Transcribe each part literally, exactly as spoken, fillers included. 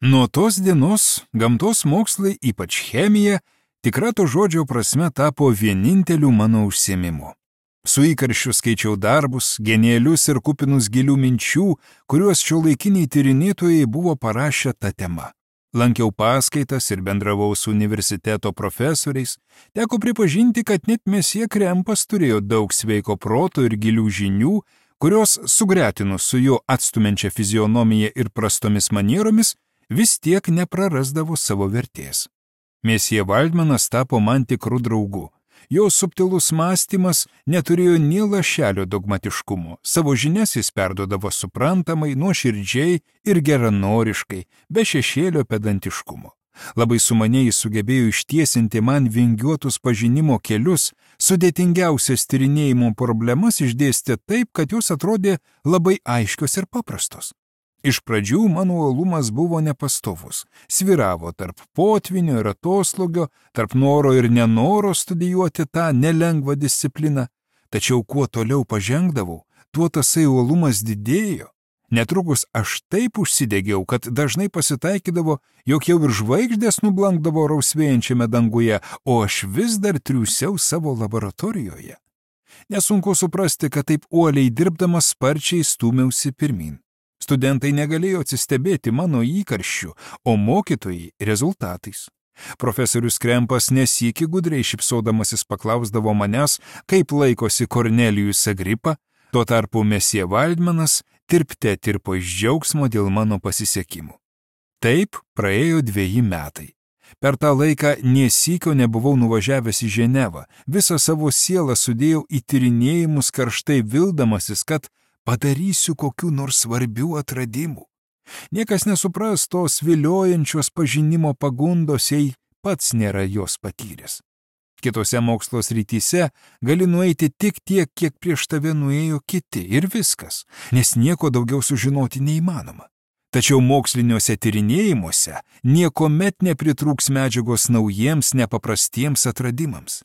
Nuo tos dienos gamtos mokslai, ypač chemija, tikra to žodžio prasme tapo vieninteliu mano užsiėmimu. Su įkarščiu skaičiau darbus, genialius ir kupinus gilių minčių, kuriuos šiuolaikiniai tyrinėtojai buvo parašę tą temą. Lankiau paskaitas ir bendravau su universiteto profesoriais. Teko pripažinti, kad net mesjė Krempas turėjo daug sveiko proto ir gilių žinių, kurios sugretinus su jo atstumiančia fizionomija ir prastomis manieromis, vis tiek neprarasdavo savo vertės. Mesjė Valdmanas tapo man tikrų draugų. Jo subtilus mąstymas neturėjo nė lašelio dogmatiškumo. Savo žinias jis perduodavo suprantamai, nuoširdžiai ir geranoriškai, be šešėlio pedantiškumo. Labai sumaniai jis sugebėjo ištiesinti man vingiuotus pažinimo kelius, sudėtingiausias tyrinėjimo problemas išdėstė taip, kad jos atrodė labai aiškios ir paprastos. Iš pradžių mano uolumas buvo nepastovus, sviravo tarp potvinio ir atoslūgio, tarp noro ir nenoro studijuoti tą nelengvą discipliną. Tačiau kuo toliau pažengdavau, tuo tasai uolumas didėjo. Netrukus aš taip užsidegiau, kad dažnai pasitaikydavo, jog jau ir žvaigždės nublankdavo rausvėjančiame danguje, o aš vis dar triūsiau savo laboratorijoje. Nesunku suprasti, kad taip uoliai dirbdamas sparčiai stūmiausi pirmin. Studentai negalėjo atsistebėti mano įkarščiu, o mokytojai rezultatais. Profesorius Krempas nesykį gudriai šipsodamasis paklausdavo manęs, kaip laikosi Kornelijus Agripa, tuo tarpu mesjė Valdmanas tirpte tirpo iš džiaugsmo dėl mano pasisekimų. Taip praėjo dveji metai. Per tą laiką nesykio nebuvau nuvažiavęs į Ženevą, visą savo sielą sudėjau į tyrinėjimus karštai vildamasis, kad padarysiu kokių nors svarbių atradimų. Niekas nesupras tos viliojančios pažinimo pagundos, jei pats nėra jos patyręs. Kitose mokslo srityse gali nueiti tik tiek, kiek prieš tave nuėjo kiti ir viskas, nes nieko daugiau sužinoti neįmanoma. Tačiau moksliniuose tyrinėjimuose niekuomet nepritrūks medžiagos naujiems nepaprastiems atradimams.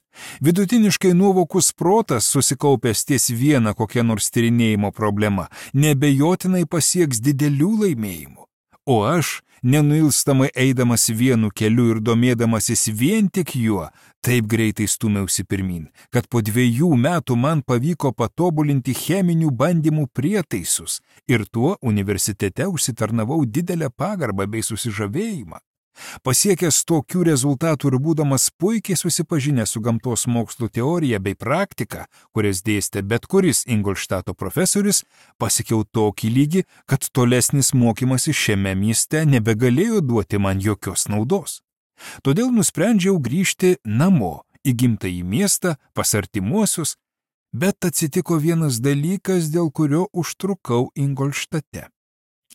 Vidutiniškai nuovokus protas, susikaupęs ties vieną kokią nors tyrinėjimo problemą, nebejotinai pasieks didelių laimėjimų. O aš, nenuilstamai eidamas vienu keliu ir domėdamasis vien tik juo, taip greitai stūmiausi pirmin, kad po dviejų metų man pavyko patobulinti cheminių bandymų prietaisus ir tuo universitete užsitarnavau didelę pagarbą bei susižavėjimą. Pasiekęs tokių rezultatų ir būdamas puikiai susipažinęs su gamtos mokslų teorija bei praktika, kurias dėstė bet kuris Ingolštato profesorius, pasiekiau tokį lygį, kad tolesnis mokymasis šiame mieste nebegalėjo duoti man jokios naudos. Todėl nusprendžiau grįžti namo, į gimtąjį miestą, pas artimuosius, bet atsitiko vienas dalykas, dėl kurio užtrukau Ingolštate.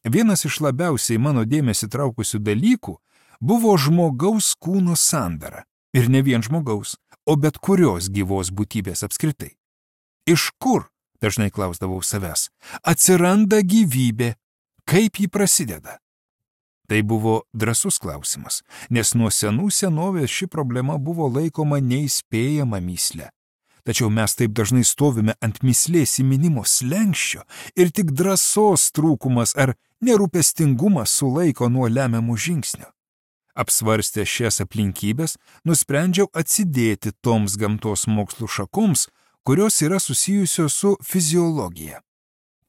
Vienas iš labiausiai mano dėmesį traukusių dalykų buvo žmogaus kūno sandara. Ir ne vien žmogaus, o bet kurios gyvos būtybės apskritai. Iš kur, dažnai klausdavau savęs, atsiranda gyvybė, kaip ji prasideda? Tai buvo drąsus klausimas, nes nuo senų senovės ši problema buvo laikoma neįspėjama mįsle. Tačiau mes taip dažnai stovime ant mįslės įminimo slenksčio ir tik drąsos trūkumas ar nerūpestingumas sulaiko nuo lemiamų žingsnių. Apsvarstę šias aplinkybės, nusprendžiau atsidėti toms gamtos mokslų šakoms, kurios yra susijusios su fiziologija.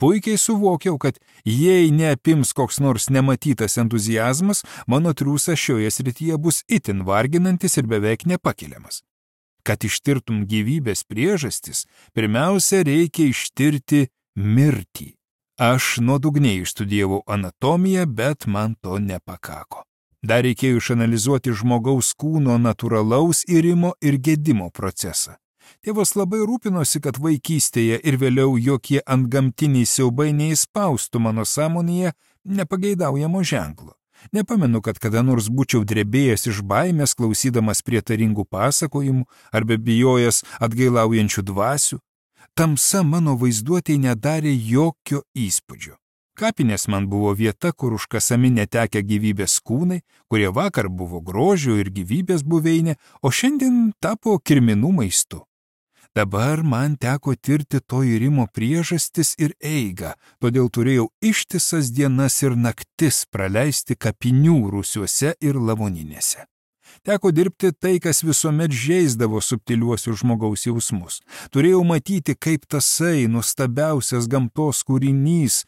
Puikiai suvokiau, kad jei neapims koks nors nematytas entuziazmas, mano triūsas šioje srityje bus itin varginantis ir beveik nepakeliamas. Kad ištirtum gyvybės priežastis, pirmiausia reikia ištirti mirtį. Aš nuodugniai išstudijavau anatomiją, bet man to nepakako. Dar reikėjo išanalizuoti žmogaus kūno natūralaus irimo ir gedimo procesą. Tėvas labai rūpinosi, kad vaikystėje ir vėliau jokie antgamtiniai siaubai neįspaustų mano sąmonėje nepageidaujamo ženklo. Nepamenu, kad kada nors būčiau drebėjęs iš baimės, klausydamas prietaringų pasakojimų arba bijojęs atgailaujančių dvasių. Tamsa mano vaizduotėje nedarė jokio įspūdžio. Kapinės man buvo vieta, kur užkasami netekę gyvybės kūnai, kurie vakar buvo grožio ir gyvybės buveinė, o šiandien tapo kirminų maistu. Dabar man teko tirti to irimo priežastis ir eigą, todėl turėjau ištisas dienas ir naktis praleisti kapinių rūsiuose ir lavoninėse. Teko dirbti tai, kas visuomet žeisdavo subtiliuosius žmogaus jausmus. Turėjau matyti, kaip tasai nuostabiausias gamtos kūrinys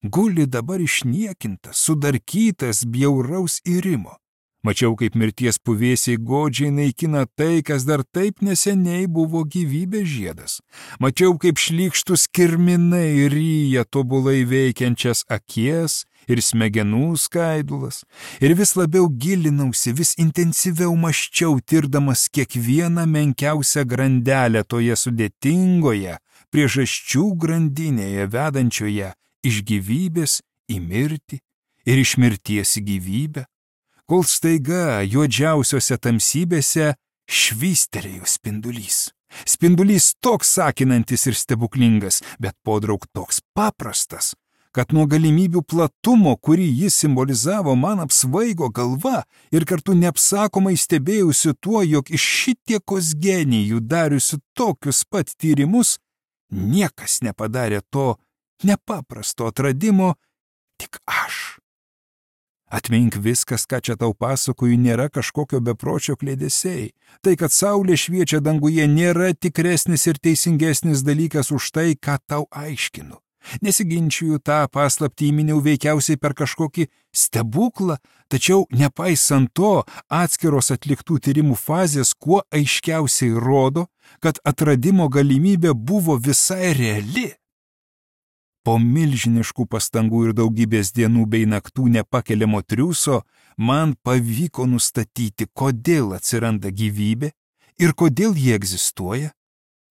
guli dabar išniekintas, sudarkytas bjauraus irimo. Mačiau, kaip mirties puvėsiai godžiai naikina tai, kas dar taip neseniai buvo gyvybės žiedas. Mačiau, kaip šlykštus kirminai ryja tobulai veikiančias akies ir smegenų skaidulas. Ir vis labiau gilinausi, vis intensyviau maščiau, tirdamas kiekvieną menkiausią grandelę toje sudėtingoje priežasčių grandinėje vedančioje iš gyvybės į mirtį ir iš mirties į gyvybę. Kol staiga juodžiausiose tamsybėse švystelėjo spindulys. Spindulys toks sakinantis ir stebuklingas, bet podraug toks paprastas, kad nuo galimybių platumo, kurį jis simbolizavo, man apsvaigo galva ir kartu neapsakomai stebėjusi tuo, jog iš šitiekos genijų dariusi tokius pat tyrimus, niekas nepadarė to nepaprasto atradimo, tik aš. Atmink viskas, ką čia tau pasakoju, nėra kažkokio bepročio klėdesiai. Tai, kad saulė šviečia danguje, nėra tikresnis ir teisingesnis dalykas už tai, ką tau aiškinu. Nesiginčiju, tą paslaptį įminiau veikiausiai per kažkokį stebuklą, tačiau nepaisant to, atskiros atliktų tyrimų fazės kuo aiškiausiai rodo, kad atradimo galimybė buvo visai reali. Po milžiniškų pastangų ir daugybės dienų bei naktų nepakeliamo triūso man pavyko nustatyti, kodėl atsiranda gyvybė ir kodėl ji egzistuoja.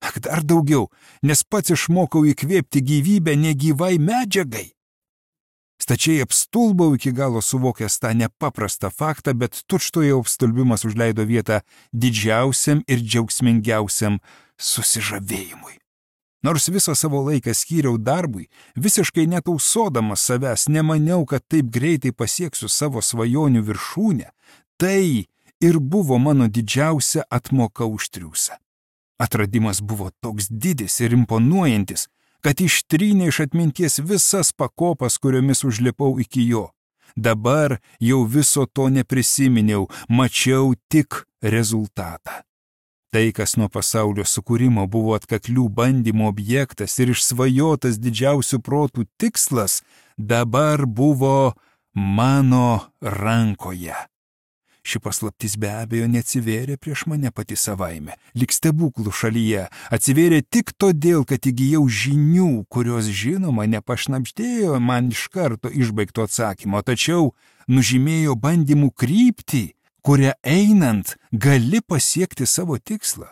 Ak, dar daugiau, nes pats išmokau įkvėpti gyvybę negyvai medžiagai. Stačiai apstulbau iki galo suvokęs tą nepaprastą faktą, bet tučtuojau apstulbimas užleido vietą didžiausiam ir džiaugsmingiausiam susižavėjimui. Nors visą savo laiką skyriau darbui, visiškai netausodamas savęs, nemaniau, kad taip greitai pasieksiu savo svajonių viršūnę, tai ir buvo mano didžiausia atmoka už triūsą. Atradimas buvo toks didis ir imponuojantis, kad ištrynė iš atminties visas pakopas, kuriomis užlipau iki jo. Dabar jau viso to neprisiminiau, mačiau tik rezultatą. Tai, kas nuo pasaulio sukūrimo buvo atkaklių bandymų objektas ir išsvajotas didžiausių protų tikslas, dabar buvo mano rankoje. Ši paslaptis be abejo neatsivėrė prieš mane pati savaime, lyg stebuklų šalyje, atsivėrė tik todėl, kad įgijau žinių, kurios žinoma nepašnabždėjo man iš karto išbaigto atsakymo, tačiau nužymėjo bandymų kryptį, kuria einant gali pasiekti savo tikslą.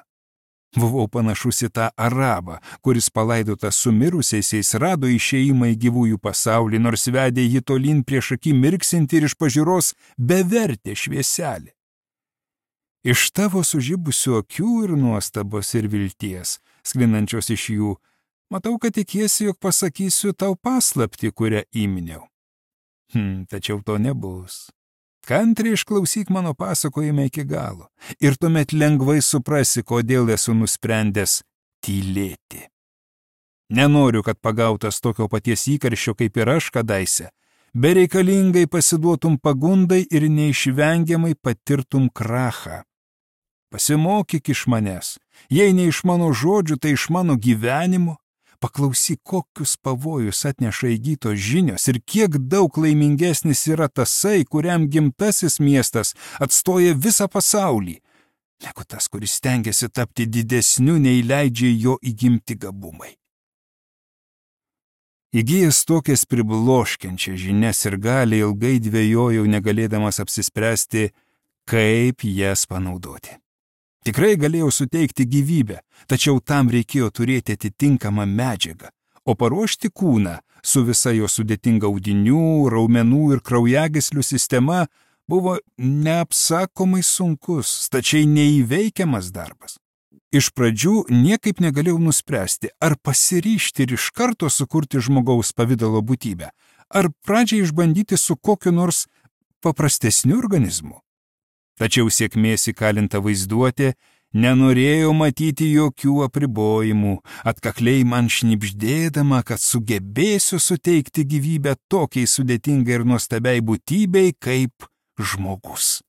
Buvau panašus į tą arabą, kuris palaidotas su mirusiaisiais rado išėjimą į gyvųjų pasaulį, nors vedė jį tolyn prieš akį mirksinti ir iš pažiūros bevertė švieselį. Iš tavo sužibusių akių ir nuostabos ir vilties, sklinančios iš jų, matau, kad tikiesi, jog pasakysiu tau paslaptį, kurią įminiau. Hm, tačiau to nebus. Kantriai išklausyk mano pasakojimą iki galo ir tuomet lengvai suprasi, kodėl esu nusprendęs tylėti. Nenoriu, kad pagautas tokio paties įkarščio kaip ir aš kadaise, bereikalingai pasiduotum pagundai ir neišvengiamai patirtum krachą. Pasimokyk iš manęs, jei ne iš mano žodžių, tai iš mano gyvenimo. Paklausyk, kokius pavojus atneša įgytos žinios ir kiek daug laimingesnis yra tasai, kuriam gimtasis miestas atstoja visą pasaulį, negu tas, kuris stengiasi tapti didesniu, nei leidžia jo įgimti gabumai. Įgijęs tokias pribloškiančias žinias ir gali ilgai dvejojau, negalėdamas apsispręsti, kaip jas panaudoti. Tikrai galėjau suteikti gyvybę, tačiau tam reikėjo turėti atitinkamą medžiagą, o paruošti kūną su visa jo sudėtinga audinių, raumenų ir kraujagyslių sistema buvo neapsakomai sunkus, stačiai neįveikiamas darbas. Iš pradžių niekaip negalėjau nuspręsti, ar pasiryžti ir iš karto sukurti žmogaus pavidalo būtybę, ar pradžiai išbandyti su kokiu nors paprastesniu organizmu. Tačiau sėkmės įkalinta vaizduotė Nenorėjau matyti jokių apribojimų, atkakliai man šnibždėdama, kad sugebėsiu suteikti gyvybę tokiai sudėtingai ir nuostabiai būtybei kaip žmogus.